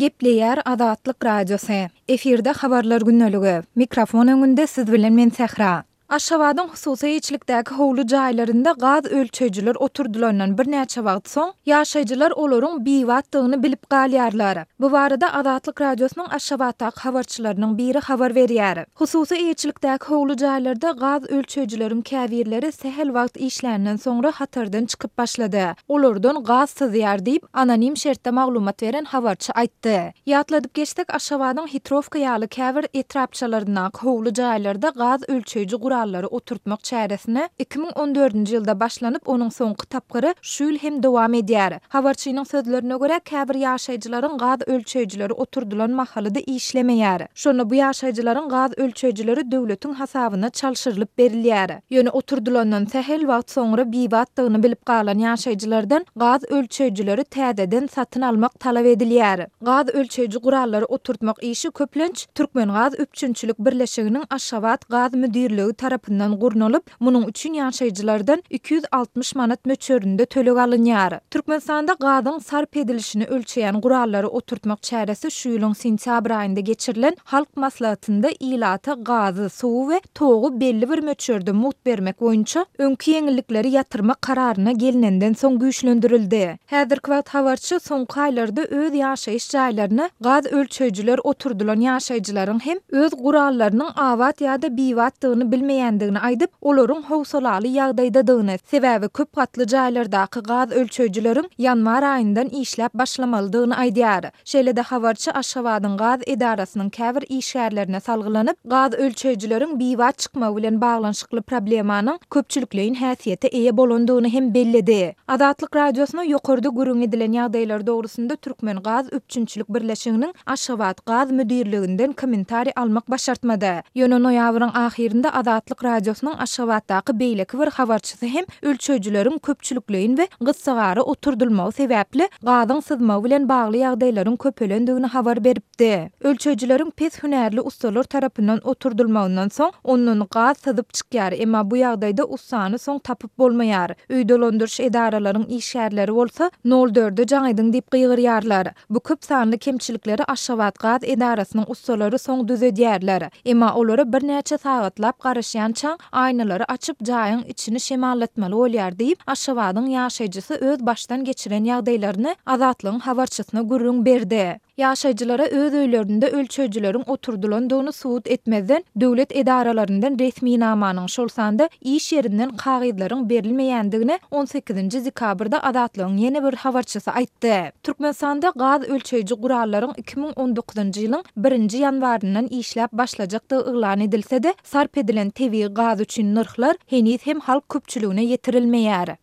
Gepleýär Azatlyk Radiosy. Efirde Habarlar gündeligi. Mikrofon öňünde siz bilen men Sähra. Aşgabadyň hususy eýeçilikdäki howly jaýlarynda gaz ölçeýjiler oturdylandan birnäçe wagt soň, ýaşaýjylar olaryň bibatdygyny bilip galýarlar. Bu barada Azatlyk Radiosynyň Aşgabatdaky habarçylarynyň biri habar berýär. Hususy eýeçilikdäki howly jaýlarda gaz ölçeýjileriň käbirleri sähel wagt işländen soňra hatardan çykyp başlady. Olardan gaz syzýar diýip, anonim şertde maglumat beren habarçy aýtdy. Ýatladyp geçsek, Aşgabadyň Hitrowka ýaly käbir etrapçalaryndaky howly jaýlarda gaz ölçeýji gurallary oturtmak çäresine 2014-nji ýylda başlanyp, onuň soňky tapgyry şu ýyl hem dowam edýär. Habarçynyň sözlerine görä, käbir ýaşaýjylaryň gaz ölçeýjileri oturdylan mahaly-da işlemeýär. Şonda bu ýaşaýjylaryň gaz ölçeýjileri döwletiň hasabyna çalşyrylyp berilýär. Ýöne oturdylandan sähel wagt soňra bibatdygyny bilip galan ýaşaýjylardan gaz ölçeýjileri täzeden satyn almak talap edilýär. Gaz ölçeýji gurallary oturtmak işi köplenç Türkmengaz üpjünçilik birleşiginiň Aşgabat gaz müdirligi tarapyndan gurnalyp, Munuň üçin ýaşaýjylardan 260 manat möçberinde töleg alynýar. Türkmenistanda gazyň sarp edilişini ölçeýän gurallary oturtmak çäresi şu ýylyň sentýabr aýynda geçirilen Halk Maslahatynda ilata gazy, suwy we togy belli bir möçberde mugt bermek boýunça öňki ýeňillikleri ýatyrmak kararyna gelnenden soň güýçlendirildi. Häzirki wagt habarçy soňky aýlarda öz ýaşaýyş jaýlaryna gaz ölçeýjiler oturdylan ýaşaýjylaryň hem öz gurallarynyň abat ýa-da bibatdygyny bilmeýändigini aýdyp, olaryň howsalaly ýagdaýdadygyny, sebäbi köp gatly jaýlardaky gaz ölçeýjileriň ýanwar aýyndan işläp başlamalydygyny aýdýar. Şeýle-de habarçy Aşgabadyň gaz edarasynyň käbir işgärlerine salgylanyp, gaz ölçeýjileriň bibat çykmagy bilen baglanyşykly problemanyň köpçülikleýin häsiýete eýe bolandygyny hem belledi. Azatlyk Radiosyna ýokarda gürrüň edilen ýagdaýlar dogrusynda Türkmengaz üpjünçilik birleşiginiň Aşgabat gaz müdirliginden kommentariý almak başartmady. Ýöne noýabryň ahyrynda Azatlyk Radiosynyň Aşgabatdaky beýleki bir habarçysy hem ölçeýjileriň köpçülikleýin we gyssagara oturdylmagy sebäpli gazyň syzmagy bilen bagly ýagdaýlaryň köpelendigini habar beripdi. Ölçeýjileriň pes hünärli ussalar tarapyndan oturdylmagyndan soň, ondan gaz syzyp çykýar, emma bu ýagdaýda ussany soň tapyp bolmaýar. Öý dolandyryş edaralaryň işgärleri bolsa, nol dörde jaň ediň diýip gygyrýarlar. Bu köp sanly kemçilikleri Aşgabatgaz edarasynyň ussalary soň düzedýärler. Emma olara birnäçe sagatlap garaşýançaň, aýnalary açyp, jaýyň içini şemallatmaly bolýar diýip, Aşgabadyň ýaşaýjysy öz başdan geçiren ýagdaýlaryny Azatlygyň habarçysyna gürrüň berdi. Ýaşaýjylara öz öýlerinde ölçeýjileriň oturdylandygyny subut etmezden, döwlet edaralaryndan resminamanyň, şol sanda iş ýerinden kagyzlaryň berilmeýändigini on sekizinji dekabrda Azatlygyň ýene bir habarçysy aýtdy. Türkmenistanda gaz ölçeýji gurallaryň 2019-njy ýylyň birinji ýanwaryndan işläp başlajakdygy yglan edilse-de, sarp edilen tebigy gaz üçin nyrhlar heniz hem halk köpçüligine ýetirilmeýär.